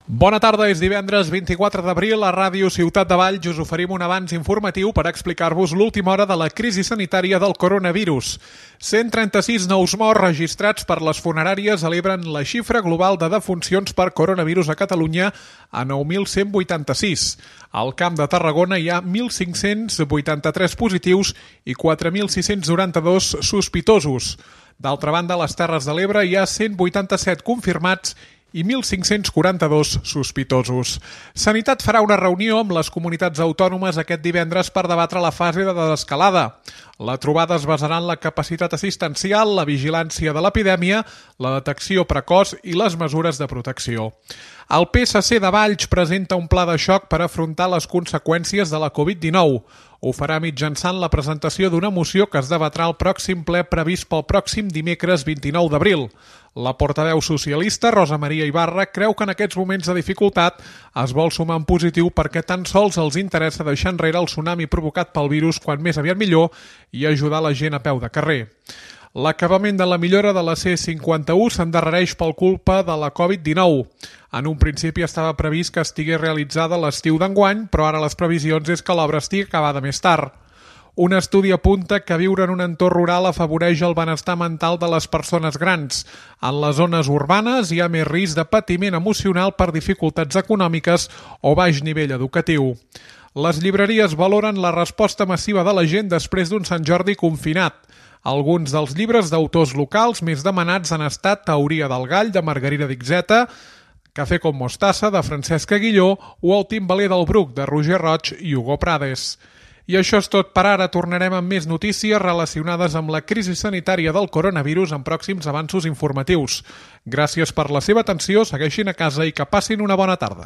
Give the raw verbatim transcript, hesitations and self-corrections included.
Bona tarda, és divendres vint-i-quatre d'abril. A Ràdio Ciutat de Valls us oferim un avanç informatiu per explicar-vos l'última hora de la crisi sanitària del coronavirus. cent trenta-sis nous morts registrats per les funeràries celebren la xifra global de defuncions per coronavirus a Catalunya a nou mil cent vuitanta-sis. Al Camp de Tarragona hi ha mil cinc-cents vuitanta-tres positius i quatre mil sis-cents noranta-dos sospitosos. D'altra banda, a les Terres de l'Ebre hi ha cent vuitanta-set confirmats i mil cinc-cents quaranta-dos sospitosos. Sanitat farà una reunió amb les comunitats autònomes aquest divendres per debatre la fase de desescalada. La trobada es basarà en la capacitat assistencial, la vigilància de l'epidèmia, la detecció precoç i les mesures de protecció. El P S C de Valls presenta un pla de xoc per afrontar les conseqüències de la covid dinou. Ho farà mitjançant la presentació d'una moció que es debatrà al pròxim ple previst pel pròxim dimecres vint-i-nou d'abril. La portaveu socialista, Rosa Maria Ibarra, creu que en aquests moments de dificultat es vol sumar en positiu perquè tan sols els interessa deixar enrere el tsunami provocat pel virus quan més aviat millor i ajudar la gent a peu de carrer. L'acabament de la millora de la C cinquanta-u s'endarrereix per culpa de la covid dinou. En un principi estava previst que estigués realitzada l'estiu d'enguany, però ara les previsions és que l'obra estigui acabada més tard. Un estudi apunta que viure en un entorn rural afavoreix el benestar mental de les persones grans. En les zones urbanes hi ha més risc de patiment emocional per dificultats econòmiques o baix nivell educatiu. Les llibreries valoren la resposta massiva de la gent després d'un Sant Jordi confinat. Alguns dels llibres d'autors locals més demanats han estat Teoria del gall, de Margarida Dixeta, Café con mostassa, de Francesc Aguilló, o El timbaler del Bruc, de Roger Roig i Hugo Prades. I això és tot per ara. Tornarem amb més notícies relacionades amb la crisi sanitària del coronavirus en pròxims avanços informatius. Gràcies per la seva atenció, segueixin a casa i que passin una bona tarda.